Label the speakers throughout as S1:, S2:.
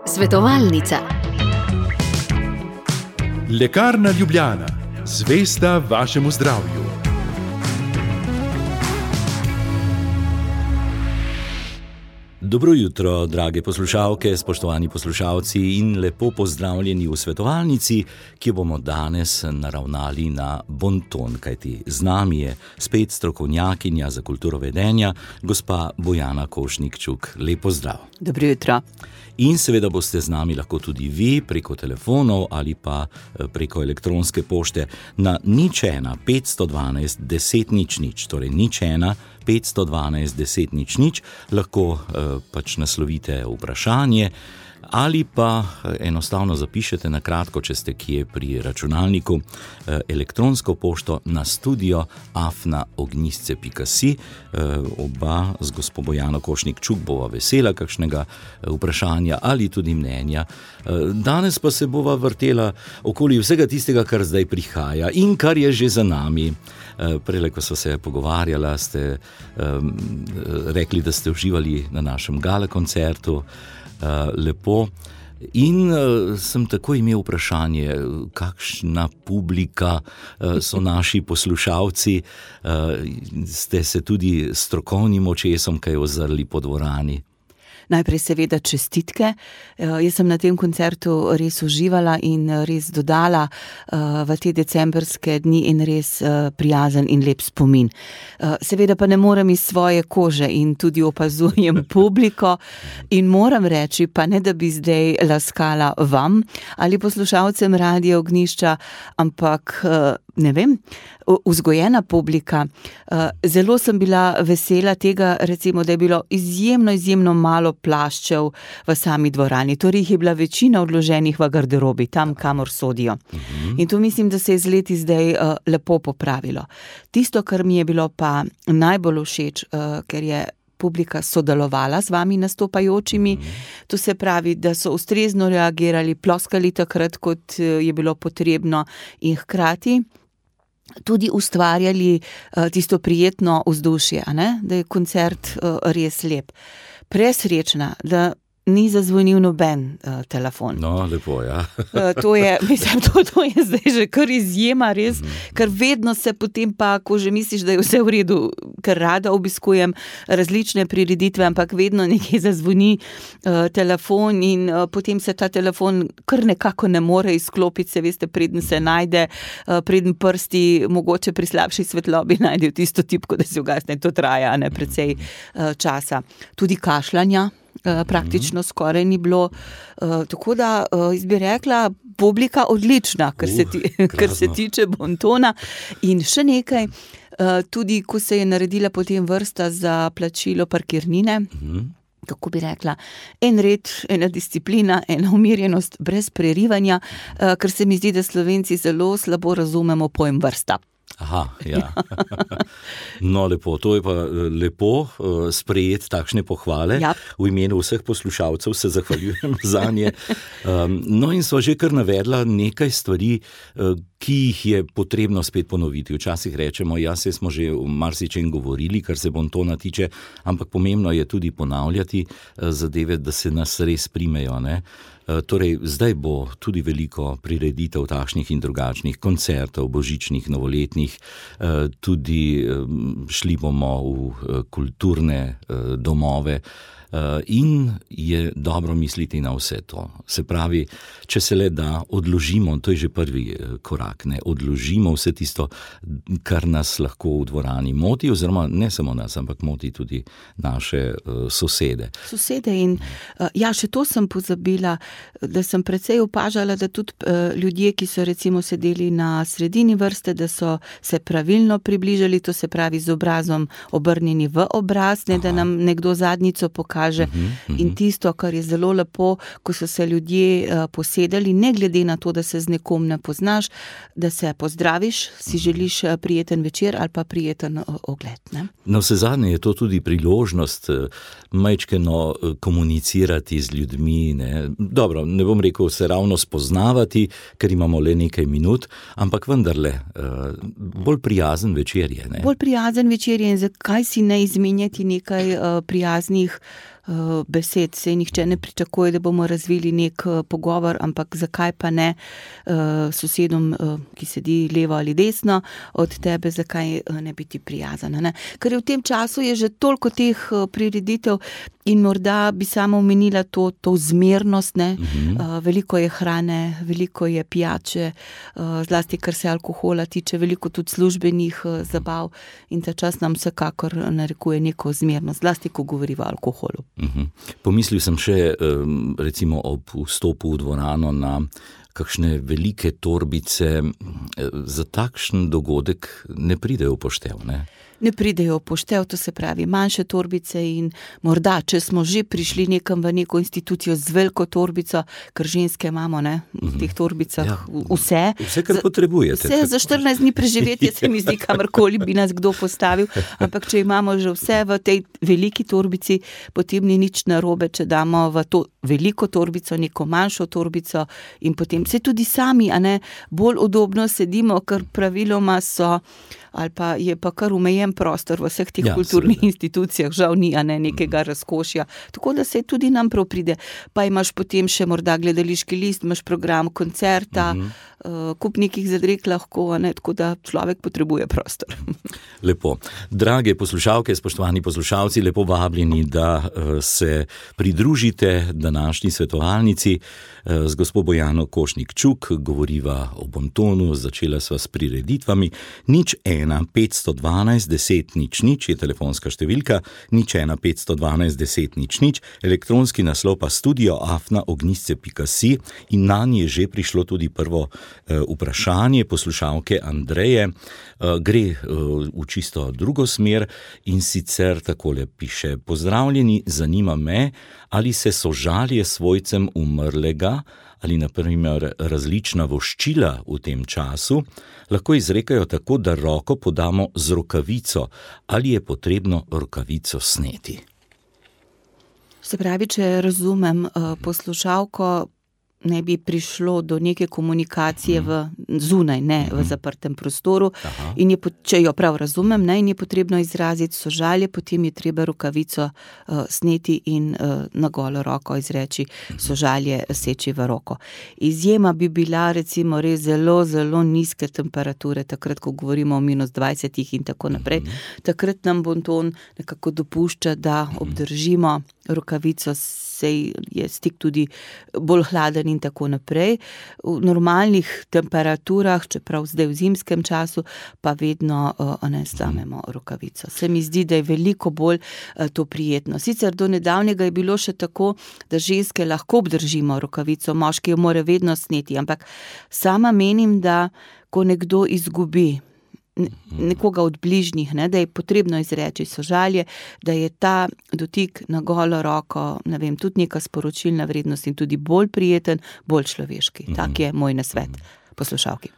S1: Svetovalnica.
S2: Lekarna Ljubljana, zvesta vašemu zdravju.
S3: Dobro jutro, drage poslušalke, spoštovani poslušalci in lepo pozdravljeni v svetovalnici, ki bomo danes naravnali na bonton, kajti z nami je spet strokovnjakinja za kulturo vedenja, gospa Bojana Košnik-Čuk. Lep pozdrav.
S4: Dobro jutro.
S3: In seveda boste z nami lahko tudi vi preko telefonov ali pa preko elektronske pošte na 01 512 10 00, torej 01 512 10 00, lahko pač naslovite vprašanje ali pa enostavno zapišete na kratko, če ste kje pri računalniku, elektronsko pošto na studio@ognjisce.si. Oba z gospo Bojano Košnik-Čuk bova vesela kakšnega vprašanja ali tudi mnenja. Danes pa se bova vrtela okoli vsega tistega, kar zdaj prihaja in kar je že za nami. Prele, ko so se pogovarjala, ste rekli, da ste uživali na našem gala koncertu. Lepo. In sem tako imel vprašanje, kakšna publika so naši poslušalci, ste se tudi strokovnim očesom kaj ozrli po dvorani?
S4: Najprej seveda čestitke. Jaz sem na tem koncertu res uživala in res dodala v te decembrske dni in res prijazen in lep spomin. Seveda pa ne morem iz svoje kože in tudi opazujem publiko in moram reči, pa ne da bi zdaj laskala vam ali poslušalcem Radia Ognjišča, ampak ne vem, vzgojena publika. Zelo sem bila vesela tega, recimo, da je bilo izjemno malo plaščev v sami dvorani. Torej jih je bila večina odloženih v garderobi, tam, kamor sodijo. In to mislim, da se je z leti zdaj lepo popravilo. Tisto, kar mi je bilo pa najbolj všeč, ker je publika sodelovala z vami nastopajočimi, to se pravi, da so ustrezno reagirali, ploskali takrat, kot je bilo potrebno in hkrati tudi ustvarjali tisto prijetno vzdušje, da je koncert res lep. Presrečna, da ni zazvonil noben telefon.
S3: No, lepo, ja.
S4: To je zdaj že kar izjema, res, ker vedno se potem pa, ko že misliš, da je vse v redu, ker rada obiskujem različne prireditve, ampak vedno nekje zazvoni telefon in potem se ta telefon kar nekako ne more izklopiti, se veste, preden se najde, preden prsti mogoče pri slabši svetlobi najdejo tisto tipko, da se ugasne, to traja precej časa. Tudi kašljanja praktično skoraj ni bilo. Tako da, jaz bi rekla, publika odlična, kar se tiče bontona. In še nekaj, tudi ko se je naredila potem vrsta za plačilo parkirnine, kako bi rekla, en red, ena disciplina, ena umirjenost, brez prerivanja, ker se mi zdi, da Slovenci zelo slabo razumemo pojem vrsta.
S3: Aha, ja. No, lepo, to je pa lepo sprejeti takšne pohvale.
S4: Ja.
S3: V imenu vseh poslušalcev se zahvaljujem za nje. No in sva že kar navedla nekaj stvari, ki jih je potrebno spet ponoviti. Včasih rečemo, ja, se smo že v marsičem govorili, kar se bontona tiče, ampak pomembno je tudi ponavljati zadeve, da se nas res primejo, ne? Torej, zdaj bo tudi veliko prireditev takšnih in drugačnih koncertov, božičnih, novoletnih, tudi šli bomo v kulturne domove in je dobro misliti na vse to. Se pravi, če se le da odložimo, to je že prvi korak, odložimo vse tisto, kar nas lahko v dvorani moti, oziroma ne samo nas, ampak moti tudi naše sosede.
S4: In ja, še to sem pozabila, da sem precej opažala, da tudi ljudje, ki so recimo sedeli na sredini vrste, da so se pravilno približali, to se pravi z obrazom obrnjeni v obraz, ne da nam nekdo zadnjico pokaže. In tisto, kar je zelo lepo, ko so se ljudje posedali, ne glede na to, da se z nekom ne poznaš, da se pozdraviš, si želiš prijeten večer ali pa prijeten ogled. Ne?
S3: No, vsezadnje je to tudi priložnost majčkeno komunicirati z ljudmi. Ne? Dobro, ne bom rekel se ravno spoznavati, ker imamo le nekaj minut, ampak vendarle bolj prijazen večer je. Ne?
S4: Bolj prijazen večer je in zakaj si ne izmenjati nekaj prijaznih besed. Sej nihče ne pričakuje, da bomo razvili nek pogovor, ampak zakaj pa ne sosedom, ki sedi levo ali desno od tebe, zakaj ne biti prijazana, ne? Ker je v tem času je že toliko teh prireditev in morda bi samo omenila to zmernost, ne? Veliko je hrane, veliko je pijače, zlasti kar se alkohola tiče, veliko tudi službenih zabav in ta čas nam vsekakor narekuje neko zmernost, zlasti ko govori o alkoholu.
S3: Pomislil sem še recimo ob vstopu v dvorano na kakšne velike torbice. Za takšen dogodek ne pridejo v poštev, ne?
S4: Ne pridejo v poštev, to se pravi manjše torbice in morda, če smo že prišli nekam v neko institucijo z veliko torbico, ker ženske imamo, ne, v teh torbicah vse.
S3: Vse, kar potrebujete.
S4: Vse za 14 dni preživetje se mi zdi, kamorkoli bi nas kdo postavil, ampak če imamo že vse v tej veliki torbici, potem ni nič narobe, če damo v to veliko torbico, neko manjšo torbico in potem se tudi sami, a ne, bolj udobno sedimo, ker praviloma so ali pa je pa kar omejen prostor v vseh teh kulturnih institucijah, žal ni, a ne, nekega razkošja. Tako da se tudi nam prav pride. Pa imaš potem še morda gledališki list, imaš program koncerta, kup nekih zadreg lahko, a ne, tako da človek potrebuje prostor.
S3: Lepo. Drage poslušalke, spoštovani poslušalci, lepo vabljeni, da se pridružite današnji svetovalnici z gospo Bojano Košnik-Čuk, govoriva o bontonu, začela sva s prireditvami. 01 512 10 00 je telefonska številka, 01 512 10 00, elektronski naslov pa studio@ognisce.si in nanje je že prišlo tudi prvo vprašanje poslušalke Andreje. Gre v čisto drugo smer in sicer takole piše: Pozdravljeni, zanima me, ali se sožalje svojcem umrlega ali na primer različna voščila v tem času lahko izrekajo tako, da roko podamo z rokavico, ali je potrebno rokavico sneti.
S4: Se pravi, če razumem poslušalko, ne bi prišlo do neke komunikacije zunaj, ne v zaprtem prostoru. In če jo prav razumem, ne, in je potrebno izraziti sožalje, potem je treba rokavico sneti in na golo roko izreči sožalje, seči v roko. Izjema bi bila recimo res zelo, zelo nizke temperature, takrat, ko govorimo o -20 in tako naprej. Takrat nam bonton nekako dopušča, da obdržimo rokavico, sej je stik tudi bolj hladen in tako naprej. V normalnih temperaturah, čeprav zdaj v zimskem času, pa vedno ne slamemo rokavico. Se mi zdi, da je veliko bolj to prijetno. Sicer do nedavnega je bilo še tako, da ženske lahko obdržimo rokavico, moški jo mora vedno sneti, ampak sama menim, da ko nekdo izgubi nekoga od bližnjih, ne, da je potrebno izreči sožalje, da je ta dotik na golo roko, ne vem, tudi neka sporočilna vrednost in tudi bolj prijeten, bolj človeški. Tak je moj nasvet poslušalki.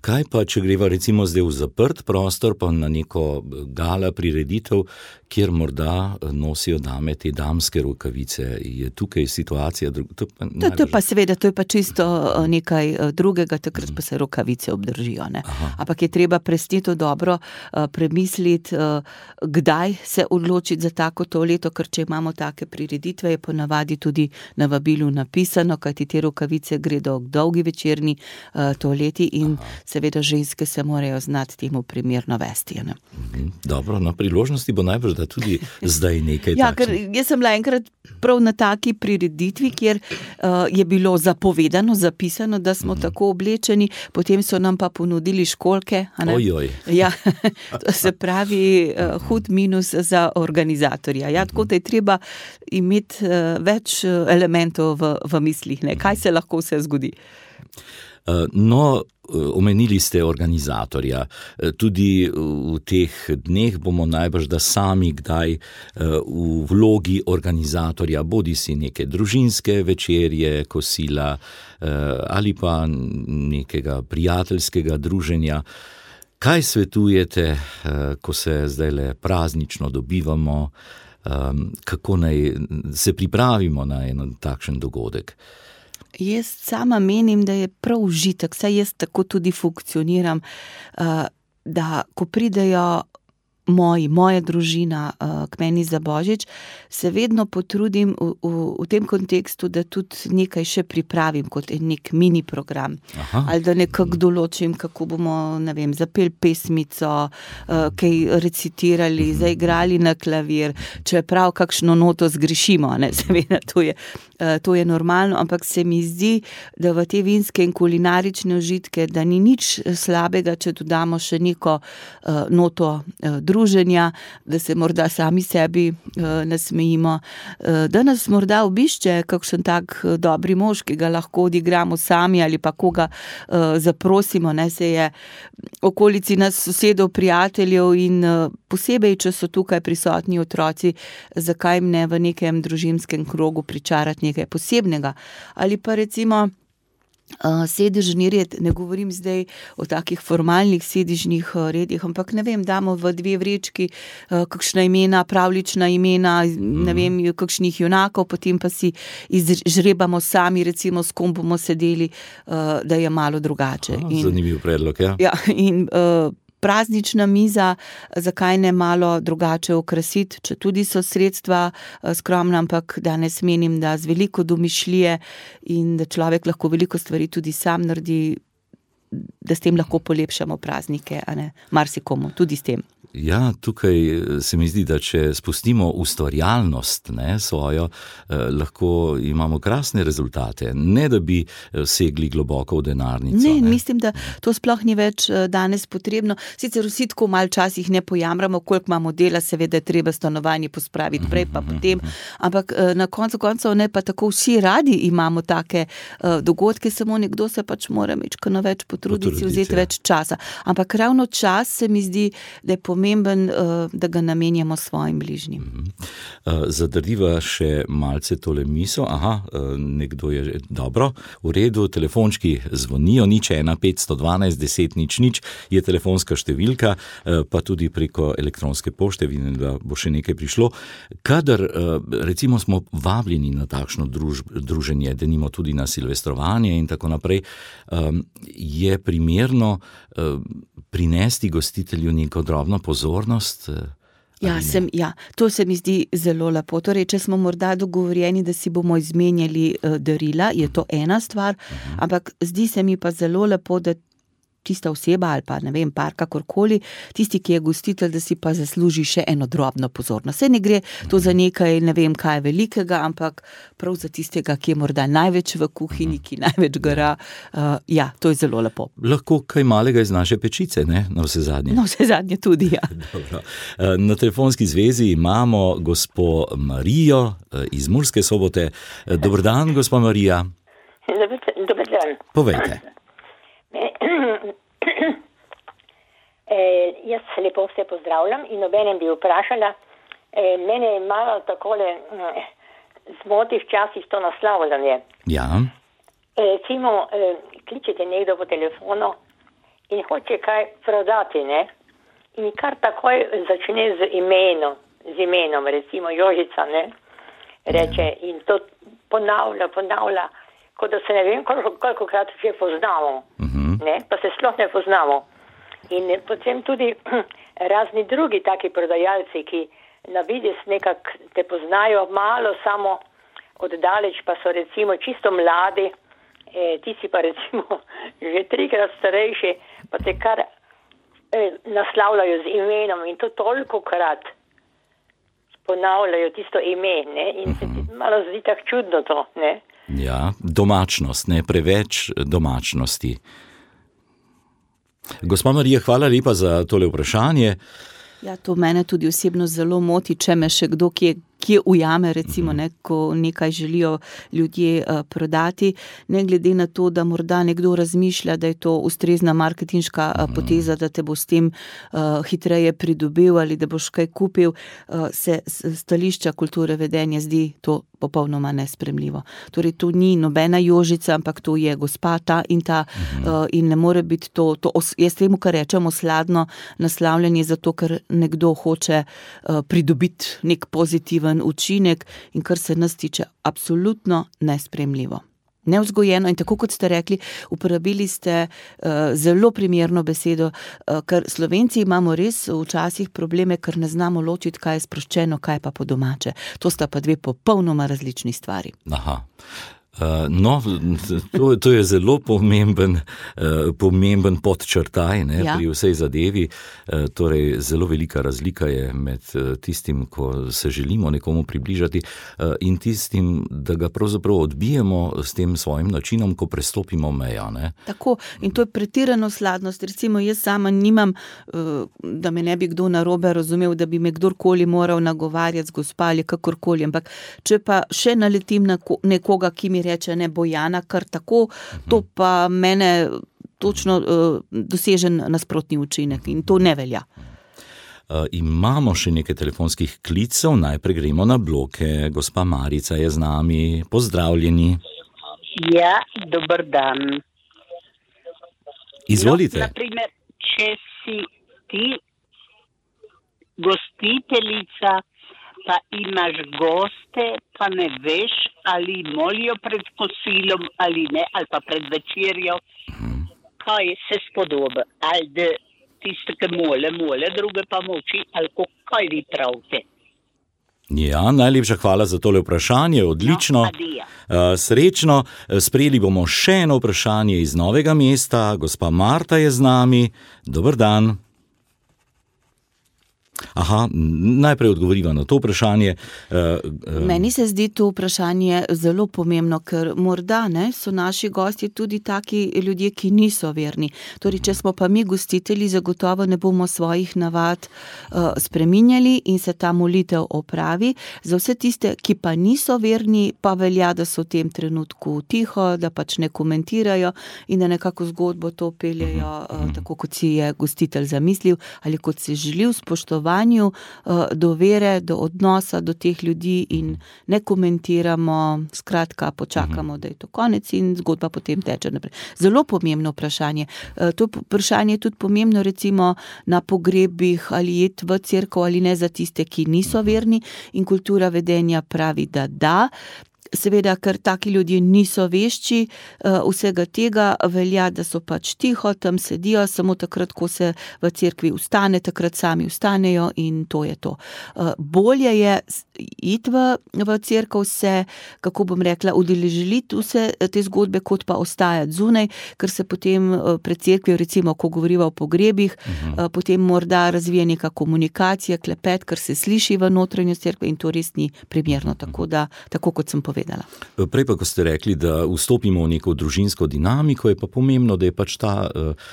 S3: Kaj pa, če greva recimo zdaj v zaprt prostor, pa na neko gala prireditev, kjer morda nosijo dame te damske rokavice? Je tukaj situacija? To je pa seveda, to je pa čisto nekaj drugega, takrat pa se rokavice obdržijo, ne. Ampak je treba presneto dobro premisliti, kdaj se odločiti za tako to leto, ker če imamo take prireditve, je ponavadi tudi na vabilu napisano, kajti te rokavice gredo k dolgi večerni toaleti in seveda ženske se morajo znati temu primerno vesti. Ne? Dobro, na priložnosti bo najbrž, da tudi zdaj nekaj takšnih.
S4: Ja, ker jaz sem bila enkrat prav na taki prireditvi, kjer je bilo zapovedano, zapisano, da smo tako oblečeni, potem so nam pa ponudili školjke.
S3: Ojoj.
S4: Ja, to se pravi hud minus za organizatorja. Ja, tako da je treba imeti več elementov v mislih, ne? Kaj se lahko vse zgodi.
S3: No, omenili ste organizatorja. Tudi v teh dneh bomo najbrž da sami kdaj v vlogi organizatorja, bodi si neke družinske večerje, kosila ali pa nekega prijateljskega druženja. Kaj svetujete, ko se zdajle praznično dobivamo, kako naj se pripravimo na en takšen dogodek?
S4: Jaz sama menim, da je prav užitek, saj jaz tako tudi funkcioniram, da ko pridejo moja družina k meni za Božič, se vedno potrudim v tem kontekstu, da tudi nekaj še pripravim kot nek mini program.
S3: Aha.
S4: Ali da nekako določim, kako bomo, ne vem, zapeli pesmico, kaj recitirali, zaigrali na klavir, čeprav kakšno noto zgrešimo, ne, seveda, to je normalno, ampak se mi zdi, da v te vinske in kulinarične užitke, da ni nič slabega, če dodamo še neko noto druženja, da se morda sami sebi nasmejimo, da nas morda obišče kakšen tak dobri mož, ki ga lahko odigramo sami ali pa koga zaprosimo, ne, se je okolici nas sosedov, prijateljev in posebej, če so tukaj prisotni otroci, zakaj jim ne v nekem družinskem krogu pričarati nekaj posebnega. Ali pa recimo sedežni red, ne govorim zdaj o takih formalnih sedežnih redih, ampak ne vem, damo v 2 vrečki kakšna imena, pravljična imena, ne vem, kakšnih junakov, potem pa si izžrebamo sami, recimo s kom bomo sedeli, da je malo drugače.
S3: Zanimiv predlog, ja.
S4: Ja, in praznična miza, zakaj ne malo drugače okrasiti, če tudi so sredstva skromna, ampak danes menim, da z veliko domišljije in da človek lahko veliko stvari tudi sam naredi, da s tem lahko polepšamo praznike, a ne, marsikomu, tudi s tem.
S3: Ja, tukaj se mi zdi, da če spustimo ustvarjalnost, ne, svojo, lahko imamo krasne rezultate, ne da bi segli globoko v denarnico.
S4: Ne, mislim, da to sploh ni več danes potrebno. Sicer vsi tako malo časih ne pojamramo, koliko imamo dela, seveda je treba stanovanje pospraviti prej pa potem, ampak na koncu koncev ne, pa tako vsi radi imamo take dogodke, samo nekdo se pač mora mečkano več potruditi, vzeti več časa. Ampak ravno čas se mi zdi, da je pomemben, da ga namenjamo svojim bližnjim.
S3: Zadrdiva še malce tole misel. Nekdo je dobro, v redu, telefončki zvonijo, 01 512 10 00 je telefonska številka, pa tudi preko elektronske pošte, vidim, da bo še nekaj prišlo. Kadar, recimo, smo vabljeni na takšno druženje, denimo tudi na silvestrovanje in tako naprej, je primerno prinesti gostitelju neko drobno pozornost?
S4: To se mi zdi zelo lepo. Torej, če smo morda dogovorjeni, da si bomo izmenjali darila, je to ena stvar, ampak zdi se mi pa zelo lepo, da tista oseba ali pa, ne vem, par, kakorkoli, tisti, ki je gostitelj, da si pa zasluži še eno drobno pozornost. Saj ne gre to za nekaj, ne vem, kaj velikega, ampak prav za tistega, ki je morda največ v kuhinji, ki največ gara. To je zelo lepo.
S3: Lahko kaj malega iz naše pečice, ne? Na vse zadnje.
S4: Na vse zadnje tudi, ja.
S3: Dobro. Na telefonski zvezi imamo gospo Marijo iz Murske Sobote. Dober dan, gospa Marija.
S1: Dober dan.
S3: Povejte.
S1: Jaz lepo vse pozdravljam in obenem bi vprašala, mene je malo takole zmoti včasih to naslavljanje.
S3: Ja.
S1: Recimo, kličete nekdo po telefonu in hoče kaj prodati, ne? In kar takoj začne z imenom, recimo Jožica, ne? Reče in to ponavlja, kot da se ne vem, kolikokrat že poznamo, ne? Pa se sploh ne poznamo. In potem tudi razni drugi taki prodajalci, ki na vides nekako te poznajo malo samo oddaleč, pa so recimo čisto mladi, ti si pa recimo že 3-krat starejši, pa te kar naslavljajo z imenom in to tolikokrat ponavljajo tisto ime, ne? In se ti malo zdi tako čudno to, ne?
S3: Ja, domačnost, ne, preveč domačnosti. Gospa Marija, hvala lepa za tole vprašanje.
S4: Ja, to mene tudi osebno zelo moti, če me še kdo kje ujame, recimo, ne, ko nekaj želijo ljudje prodati, ne glede na to, da morda nekdo razmišlja, da je to ustrezna marketinška poteza, da te bo s tem hitreje pridobil ali da boš kaj kupil, se stališča kulture vedenja zdi to popolnoma nespremljivo. Torej, to ni nobena Jožica, ampak to je gospa ta in ta in ne more biti to jaz temu, kar rečemo, sladno naslavljanje, zato ker nekdo hoče pridobiti nek pozitiven učinek in kar se nas tiče absolutno nespremljivo. nevzgojeno in tako kot ste rekli, uporabili ste zelo primerno besedo, ker Slovenci imamo res včasih probleme, ker ne znamo ločiti, kaj je sproščeno, kaj pa po domače. To sta pa dve popolnoma različni stvari.
S3: Aha. No, to je zelo pomemben podčrtaj, ne, pri vsej zadevi. Torej, zelo velika razlika je med tistim, ko se želimo nekomu približati in tistim, da ga pravzaprav odbijemo s tem svojim načinom, ko prestopimo mejo. Ne.
S4: Tako, in to je pretirano sladnost. Recimo, jaz sama nimam, da me ne bi kdo narobe razumel, da bi me kdorkoli moral nagovarjati z gospa ali kakorkoli, ampak če pa še naletim na nekoga, ki mi reče, ne Bojana, kar tako, to pa mene točno dosežen nasprotni učinek in to ne velja.
S3: Imamo še nekaj telefonskih klicev, najprej gremo na bloke. Gospa Marica je z nami, pozdravljeni.
S5: Ja, dober dan.
S3: Izvolite.
S5: No, naprimer, če si ti gostiteljica, pa imaš goste, pa ne veš, ali molijo pred kosilom ali ne, ali pa pred večerjo, kaj se spodoba, ali da tiste, ki mole, druge pa moči, ali kaj vi pravite.
S3: Ja, najlepša hvala za tole vprašanje, odlično. Srečno, sprejeli bomo še eno vprašanje iz Novega mesta, gospa Marta je z nami, dober dan. Aha, najprej odgovoriva na to vprašanje.
S4: Meni se zdi to vprašanje zelo pomembno, ker morda so naši gosti tudi taki ljudje, ki niso verni. Torej, če smo pa mi gostitelji, zagotovo ne bomo svojih navad spreminjali in se ta molitev opravi. Za vse tiste, ki pa niso verni, pa velja, da so v tem trenutku tiho, da pač ne komentirajo in da nekako zgodbo to peljejo tako, kot si je gostitelj zamislil ali kot si želil, spoštovati do vere, do odnosa do teh ljudi in ne komentiramo, skratka počakamo, da je to konec in zgodba potem teče naprej. Zelo pomembno vprašanje. To vprašanje je tudi pomembno recimo na pogrebih ali iti v cerkev ali ne za tiste, ki niso verni in kultura vedenja pravi, da. Seveda, ker taki ljudje niso vešči vsega tega, velja, da so pač tiho, tam sedijo, samo takrat, ko se v cerkvi vstane, takrat sami vstanejo in to je to. Bolje je iti v cerkev, se, kako bom rekla, udeležiti vse te zgodbe, kot pa ostajati zunaj, ker se potem pred cerkvijo, recimo, ko govoriva o pogrebih, potem morda razvije neka komunikacija, klepet, ker se sliši v notranjost cerkve in to res ni primerno, tako kot sem povedala.
S3: Prej pa, ko ste rekli, da vstopimo v neko družinsko dinamiko, je pa pomembno, da je pač ta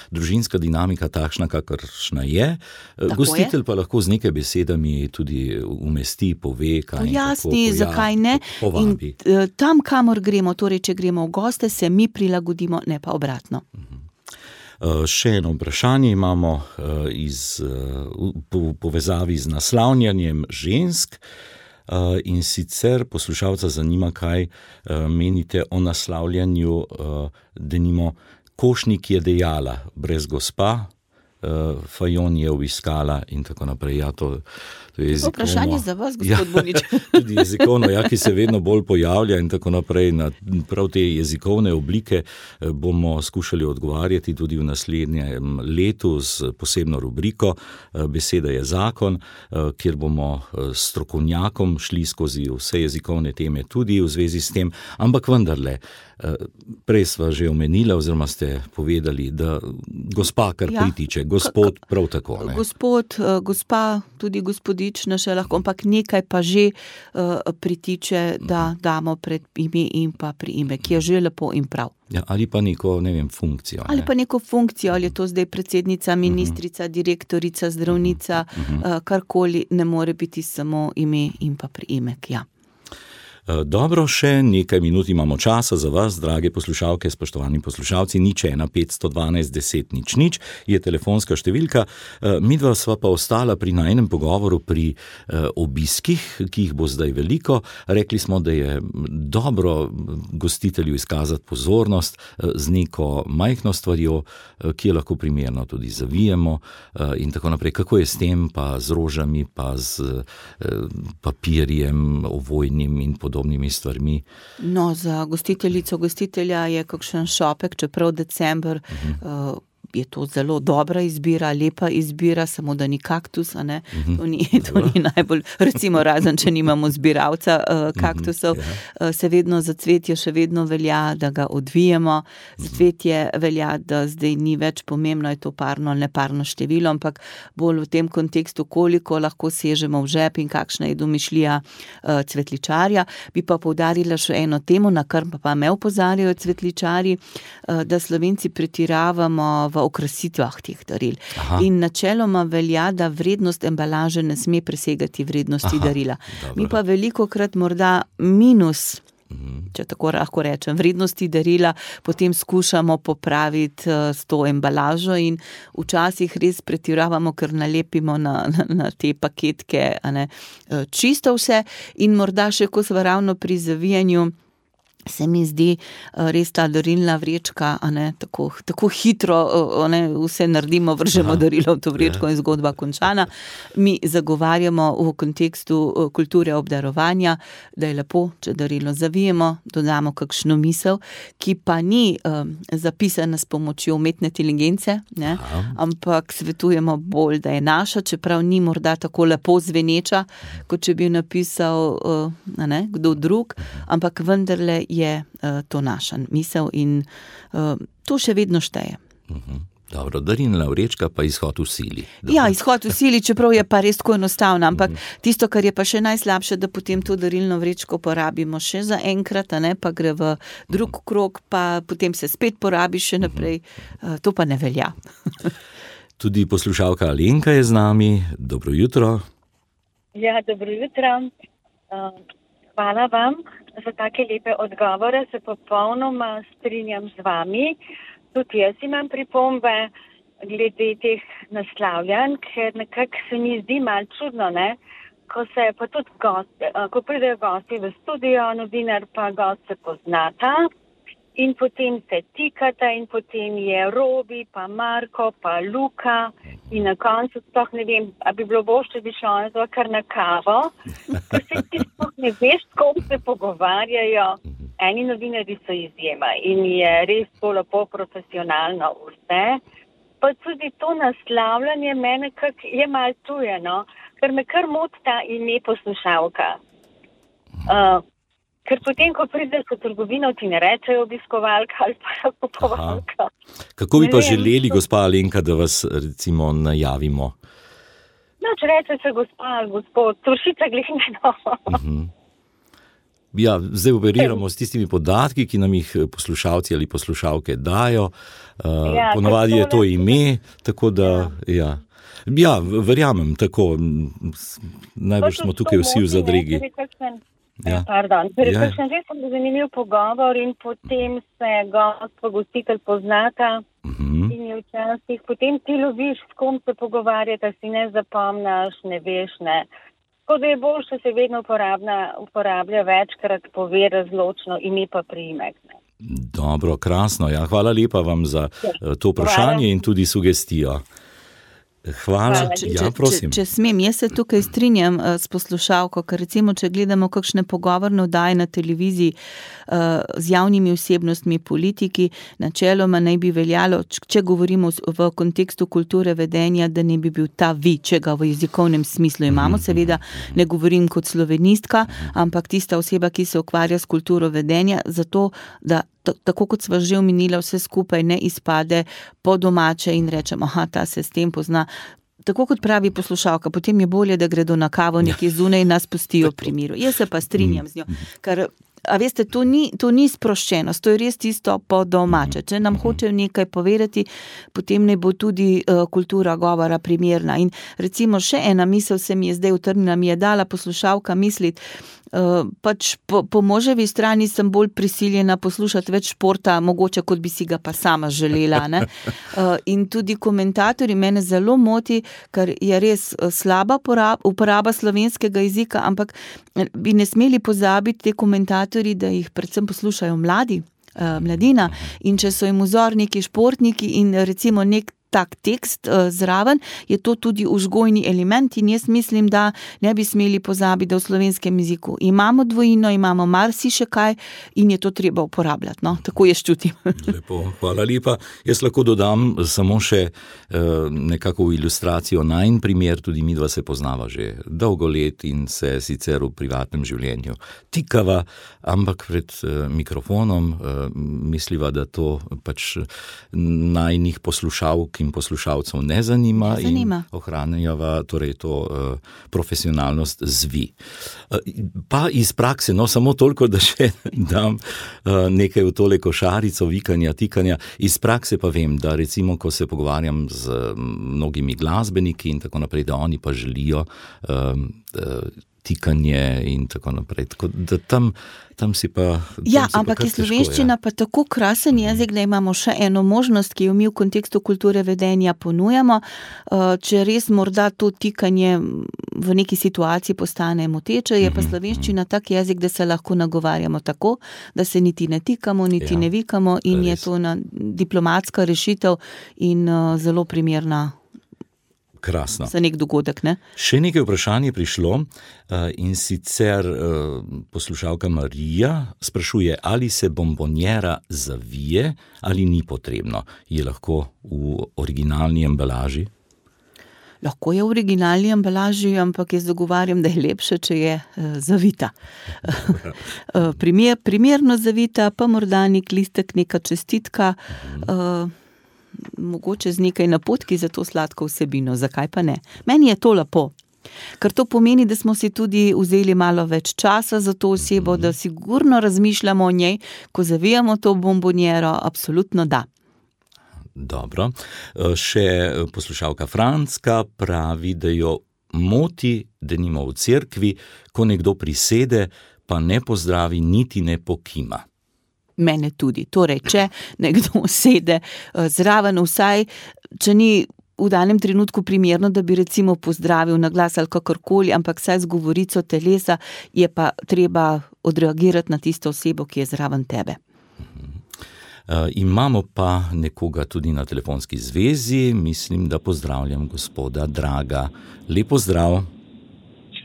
S3: družinska dinamika takšna, kakršna je. Gostitelj pa lahko z nekaj besedami tudi umesti, pove, kaj
S4: pojasni, zakaj ne.
S3: Povabi.
S4: In tam, kamor gremo, torej, če gremo v goste, se mi prilagodimo, ne pa obratno.
S3: Še eno vprašanje imamo iz povezavi z naslavljanjem žensk. In sicer poslušalca zanima, kaj menite o naslavljanju, denimo Košnik je dejala, brez gospa, Fajon je obiskala in tako naprej. Ja, to je jezikovno.
S4: Vprašanje za vas, gospod Bonič.
S3: Tudi jezikovno, ki se vedno bolj pojavlja in tako naprej. Na prav te jezikovne oblike bomo skušali odgovarjati tudi v naslednjem letu z posebno rubriko Beseda je zakon, kjer bomo s strokovnjakom šli skozi vse jezikovne teme tudi v zvezi s tem, ampak vendarle, prej sva že omenila oziroma ste povedali, da gospa kar pritiče, gospod prav tako. Ne?
S4: Gospod, gospa, tudi gospodična še lahko, ampak nekaj pa že pritiče, da damo pred ime in pa priimek, ki je že lepo in prav.
S3: Ja, ali pa neko, ne vem, funkcijo. Ne?
S4: Ali pa neko funkcijo, ali je to zdaj predsednica, ministrica, direktorica, zdravnica, karkoli, ne more biti samo ime in pa priimek, ja.
S3: Dobro, še nekaj minut imamo časa za vas, drage poslušalke, spoštovani poslušalci. 01512 10 00 je telefonska številka. Midva sva pa ostala pri najinem pogovoru pri obiskih, ki jih bo zdaj veliko. Rekli smo, da je dobro gostitelju izkazati pozornost z neko majhno stvarjo, ki je lahko primerno tudi zavijemo in tako naprej. Kako je s tem, pa z rožami, pa z papirjem ovojnim in podobno. podobnimi stvarmi.
S4: No, za gostitelja je kakšen šopek, čeprav december, je to zelo dobra izbira, lepa izbira, samo da ni kaktus, a ne? To ni najbolj, recimo razen, če nimamo zbiralca kaktusov, se vedno za cvetje še vedno velja, da ga odvijemo, za cvetje velja, da zdaj ni več pomembno, je to parno ali neparno število, ampak bolj v tem kontekstu, koliko lahko sežemo v žep in kakšna je domišljija cvetličarja. Bi pa poudarila še eno temo, na kar pa me opozarjajo cvetličarji, da Slovenci pretiravamo v okrasitvah teh daril. In načeloma velja, da vrednost embalaže ne sme presegati vrednosti darila.
S3: Dobro.
S4: Mi pa velikokrat morda minus, če tako lahko rečem, vrednosti darila potem skušamo popraviti s to embalažo in včasih res pretiravamo, ker nalepimo na te paketke, a ne, čisto vse in morda še, ko smo ravno pri zavijanju, se mi zdi res ta darilna vrečka, a ne, tako hitro, vse naredimo, vržemo darilo v to vrečko in zgodba končana. Mi zagovarjamo v kontekstu kulture obdarovanja, da je lepo, če darilo zavijemo, dodamo kakšno misel, ki pa ni zapisana s pomočjo umetne inteligence, ne, ampak svetujemo bolj, da je naša, čeprav ni morda tako lepo zveneča, kot če bi napisal kdo drug, ampak vendarle je to naša misel in to še vedno šteje.
S3: Dobro, darilna vrečka pa izhod v sili.
S4: Ja, izhod v sili, čeprav je pa res tako enostavno, ampak tisto, kar je pa še najslabše, da potem to darilno vrečko porabimo še za enkrat, a ne, pa gre v drug krog, pa potem se spet porabi še naprej. To pa ne velja.
S3: Tudi poslušalka Alenka je z nami. Dobro jutro.
S6: Ja, dobro jutro. Hvala vam za take lepe odgovore, se popolnoma strinjam z vami. Tudi jaz imam pripombe glede teh naslavljanj, ker nekako se mi zdi malo čudno, ne? Ko se pa tudi ko pridejo gosti v studio, novinar pa gost se poznata in potem se tikata in potem je Robi, pa Marko, pa Luka in na koncu sploh ne vem, a bi bilo bolj, če bi šlo kar na kavo, ker se ti sploh ne veš, s kom se pogovarjajo. Eni novinarji so izjema in je res to lepo profesionalno vse. Pa tudi to naslavljanje mene je malo tuje, no, ker me kar moti ta ime poslušalka. Ker potem, ko prideš v trgovino, ti ne rečejo obiskovalka ali pa kupovalka.
S3: Kako bi pa želeli, gospa Alenka, da vas recimo najavimo?
S6: No, če reče se gospa ali gospod, Trušica Glihmeno.
S3: Ja, zdaj operiramo s tistimi podatki, ki nam jih poslušalci ali poslušalke dajo. Ponavadi je to ime, tako da, ja. Ja, verjamem, tako. Najbolj smo tukaj vsi v zadregi.
S6: Pardon, kakšen že sem zanimiv pogovor in potem se gost pa gostitelj poznata in je včasih, potem ti loviš, s kom se pogovarjata, si ne zapomnaš, ne veš, ne. Tako da je bolj, če se vedno uporablja večkrat, pove razločno ime pa priimek.
S3: Dobro, krasno, ja, hvala lepa vam za to vprašanje in tudi sugestijo. Hvala. Ja, prosim.
S4: Če smem, jaz se tukaj strinjam s poslušalko, ker recimo, če gledamo kakšne pogovorne oddaje na televiziji z javnimi osebnostmi, politiki, načeloma naj bi veljalo, če govorimo v kontekstu kulture vedenja, da ne bi bil ta vi, če ga v jezikovnem smislu imamo, seveda ne govorim kot slovenistka, ampak tista oseba, ki se ukvarja s kulturo vedenja, zato da tako kot sva že omenila, vse skupaj ne izpade po domače in rečem, ta se s tem pozna. Tako kot pravi poslušalka, potem je bolje, da gredo na kavo nekje zunaj in nas pustijo pri miru. Jaz se pa strinjam z njo, ker, a veste, to ni sproščenost, to je res tisto po domače. Če nam hočejo nekaj povedati, potem ne bo tudi kultura govora primerna. In recimo še ena misel se mi je zdaj utrnila, mi je dala poslušalka misliti, pač po moževi strani sem bolj prisiljena poslušati več športa, mogoče kot bi si ga pa sama želela, ne. In tudi komentatorji mene zelo moti, ker je res slaba uporaba slovenskega jezika, ampak bi ne smeli pozabiti te komentatorji, da jih predvsem poslušajo mladina, in če so jim vzor neki športniki in recimo nek tak tekst zraven, je to tudi vzgojni element in jaz mislim, da ne bi smeli pozabiti, da v slovenskem jeziku imamo dvojino, imamo marsiše kaj in je to treba uporabljati. No? Tako jaz čutim.
S3: Lepo, hvala lepa. Jaz lahko dodam samo še nekako v ilustracijo najin primer, tudi midva se poznava že dolgo let in se sicer v privatnem življenju tikava, ampak pred mikrofonom misliva, da to pač najnih poslušalk in poslušalcev ne zanima. In ohranjava torej to profesionalnost zvi. Pa iz prakse, no samo toliko, da še dam nekaj v tole košarico vikanja, tikanja. Iz prakse pa vem, da recimo, ko se pogovarjam z mnogimi glasbeniki in tako naprej, da oni pa želijo tikanje in tako naprej. Tako da tam si pa...
S4: Ja, ampak je slovenščina pa tako krasen jezik, da imamo še eno možnost, ki jo mi v kontekstu kulture vedenja ponujamo. Če res morda to tikanje v neki situaciji postane moteče, je pa slovenščina tak jezik, da se lahko nagovarjamo tako, da se niti ne tikamo, niti ne vikamo in je to diplomatska rešitev in zelo primerna.
S3: Krasno.
S4: Za nek dogodek, ne?
S3: Še nekaj vprašanj je prišlo in sicer poslušalka Marija sprašuje, ali se bombonjera zavije ali ni potrebno. Je lahko v originalni embalaži?
S4: Lahko je v originalni embalaži, ampak jaz zagovarjam, da je lepše, če je zavita. Primerno zavita, pa morda nek listek, neka čestitka, mogoče z nekaj napotki za to sladko vsebino, zakaj pa ne. Meni je to lepo, ker to pomeni, da smo si tudi vzeli malo več časa za to osebo, da sigurno razmišljamo o njej, ko zavijamo to bombonjero, absolutno da.
S3: Dobro. Še poslušalka Franska pravi, da jo moti, denimo v cerkvi, ko nekdo prisede, pa ne pozdravi, niti ne pokima.
S4: Mene tudi. Torej, če nekdo sede zraven, vsaj, če ni v danem trenutku primerno, da bi recimo pozdravil na glas ali kakorkoli, ampak saj z govorico telesa je pa treba odreagirati na tisto osebo, ki je zraven tebe.
S3: Imamo pa nekoga tudi na telefonski zvezi, mislim, da pozdravljam gospoda Draga. Lep pozdrav.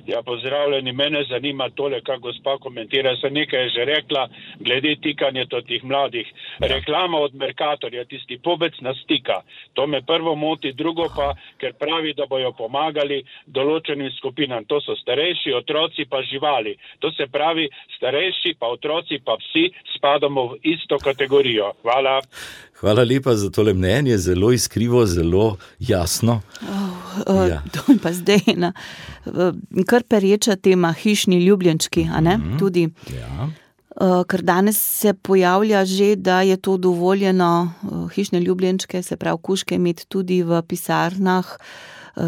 S7: Ja, pozdravljeni, mene zanima tole, kak gospa komentira, se nekaj je že rekla, glede tikanja tih mladih. Reklama od Mercatorja, tisti pobec nas tika. To me prvo moti, drugo pa, ker pravi, da bojo pomagali določenim skupinam. To so starejši, otroci pa živali. To se pravi, starejši pa otroci pa vsi spadamo v isto kategorijo. Hvala.
S3: Hvala lepa za tole mnenje, zelo iskrivo, zelo jasno.
S4: To je pa zdaj ena kar pereča tema hišni ljubljenčki, a ne? Tudi.
S3: Ja.
S4: Ker danes se pojavlja že, da je to dovoljeno hišne ljubljenčke, se pravi kužke, imeti tudi v pisarnah.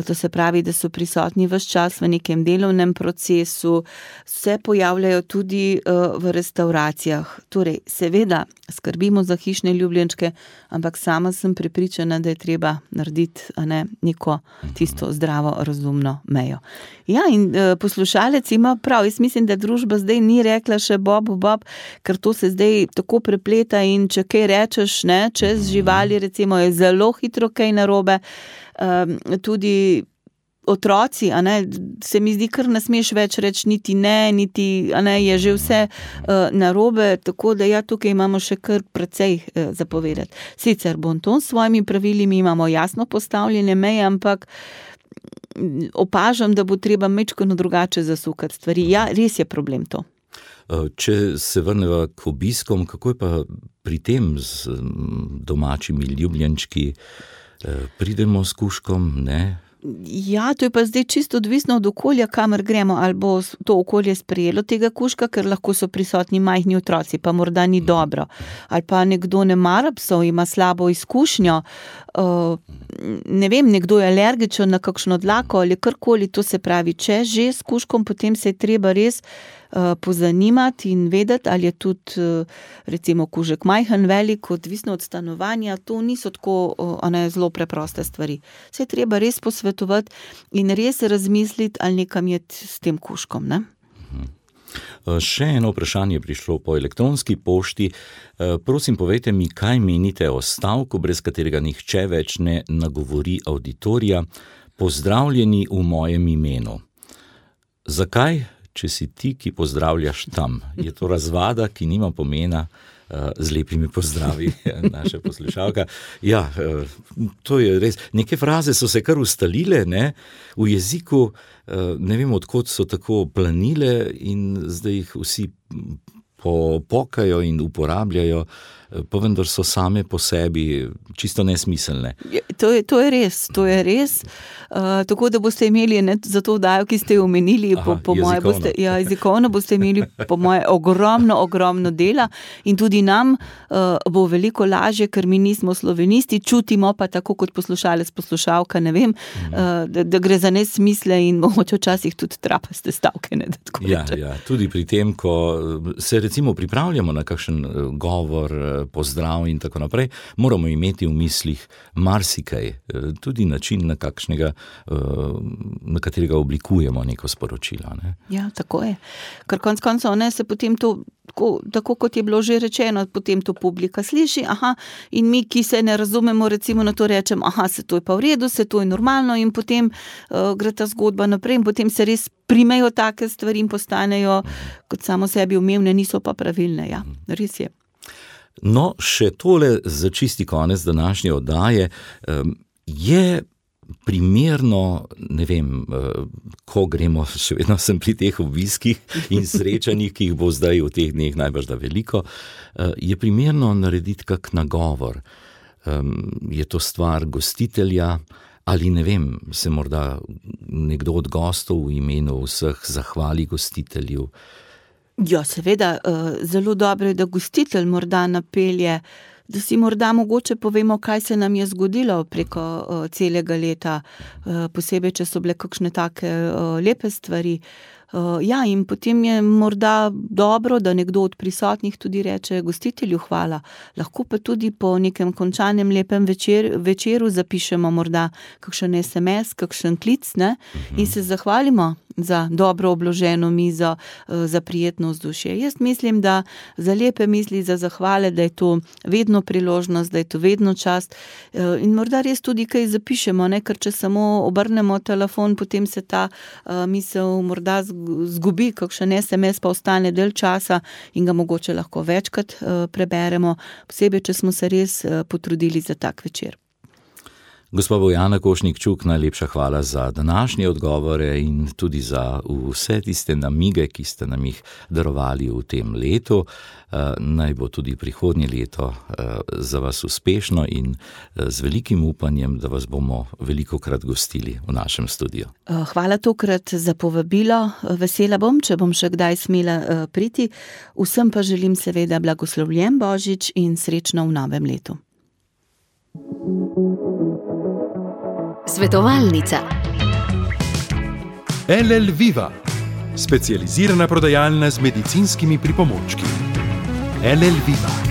S4: To se pravi, da so prisotni ves čas v nekem delovnem procesu, se pojavljajo tudi v restauracijah. Torej, seveda skrbimo za hišne ljubljenčke, ampak sama sem prepričana, da je treba narediti neko tisto zdravo, razumno mejo. Ja, in poslušalec ima prav, jaz mislim, da družba zdaj ni rekla še bob, ker to se zdaj tako prepleta in če kaj rečeš, čez živali, recimo, je zelo hitro kaj narobe. Tudi otroci, se mi zdi, kar ne smeš več reči niti ne, je že vse narobe, tako da ja, tukaj imamo še kar precej zapovedati. Sicer bonton s svojimi pravili, mi imamo jasno postavljene meje, ampak opažam, da bo treba majčkeno drugače zasukati stvari. Ja, res je problem to.
S3: Če se vrneva k obiskom, kako je pa pri tem z domačimi ljubljenčki? Pridemo s kužkom, ne?
S4: Ja, to je pa zdaj čisto odvisno od okolja, kamor gremo, ali bo to okolje sprejelo tega kužka, ker lahko so prisotni majhni otroci, pa morda ni dobro. Ali pa nekdo ne mara psov, ima slabo izkušnjo, ne vem, nekdo je alergičen na kakšno dlako ali karkoli, to se pravi, če že s kužkom, potem se je treba res pozanimati in vedeti, ali je tudi recimo kužek majhen, velik, odvisno od stanovanja, to niso tako zelo preproste stvari. Se je treba res posvetovati in res razmisliti, ali nekam je s tem kužkom, ne?
S3: Še eno vprašanje je prišlo po elektronski pošti. Prosim, povejte mi, kaj menite o stavku, brez katerega nihče več ne nagovori auditorija. Pozdravljeni v mojem imenu. Zakaj, če si ti, ki pozdravljaš tam? Je to razvada, ki nima pomena? Z lepimi pozdravi, naša poslušalka. Ja, to je res. Neke fraze so se kar ustalile, ne? V jeziku, ne vem, odkot so tako planile in zdaj jih vsi pokajo in uporabljajo, pa vendar so same po sebi čisto nesmiselne.
S4: To je res. Tako da boste imeli za to vdajo, ki ste jo omenili, po moje boste, jezikovno boste imeli po moje ogromno dela in tudi nam bo veliko lažje, ker mi nismo slovenisti, čutimo pa tako kot poslušalka, ne vem, da gre za nesmisle in mogoče včasih tudi trapaste stavke. Ne,
S3: ja, tudi pri tem, ko se recimo pripravljamo na kakšen govor, pozdrav in tako naprej, moramo imeti v mislih marsikaj, tudi način, na katerega oblikujemo neko sporočilo. Ne?
S4: Ja, tako je. Ker konec koncev se potem to, tako kot je bilo že rečeno, potem to publika sliši, in mi, ki se ne razumemo, recimo na to rečem, se to je pa v redu, se to je normalno in potem gre ta zgodba naprej in potem se res primejo take stvari in postanejo kot samo sebi umevne, niso pa pravilne. Ja, res je.
S3: No, še tole za čisti konec današnje oddaje. Je primerno, ne vem, ko gremo, še vedno sem pri teh obiskih in srečanjih, ki jih bo zdaj v teh dneh najbrž da veliko, je primerno narediti kak nagovor. Je to stvar gostitelja ali ne vem, se morda nekdo od gostov v imenu vseh zahvali gostitelju.
S4: Ja, seveda, zelo dobro je, da gostitelj morda napelje, da si morda mogoče povemo, kaj se nam je zgodilo preko celega leta, posebej, če so bile kakšne take lepe stvari. Ja, in potem je morda dobro, da nekdo od prisotnih tudi reče gostitelju hvala. Lahko pa tudi po nekem končanem lepem večeru zapišemo morda kakšen SMS, kakšen klic, ne? In se zahvalimo za dobro obloženo mizo, za prijetno vzdušje. Jaz mislim, da za lepe misli, za zahvale, da je to vedno priložnost, da je to vedno čast in morda res tudi kaj zapišemo, ne? Ker če samo obrnemo telefon, potem se ta misel morda zgubi, kakšen SMS pa ostane del časa in ga mogoče lahko večkrat preberemo, posebej, če smo se res potrudili za tak večer.
S3: Gospa Bojana Košnik-Čuk, najlepša hvala za današnje odgovore in tudi za vse tiste namige, ki ste nam jih darovali v tem letu. Naj bo tudi prihodnje leto za vas uspešno in z velikim upanjem, da vas bomo velikokrat gostili v našem studiu.
S4: Hvala tokrat za povabilo. Vesela bom, če bom še kdaj smela priti. Vsem pa želim seveda blagoslovljen Božič in srečno v novem letu.
S8: Svetovalnica.
S2: LL Viva, specializirana prodajalna z medicinskimi pripomočki. LL Viva.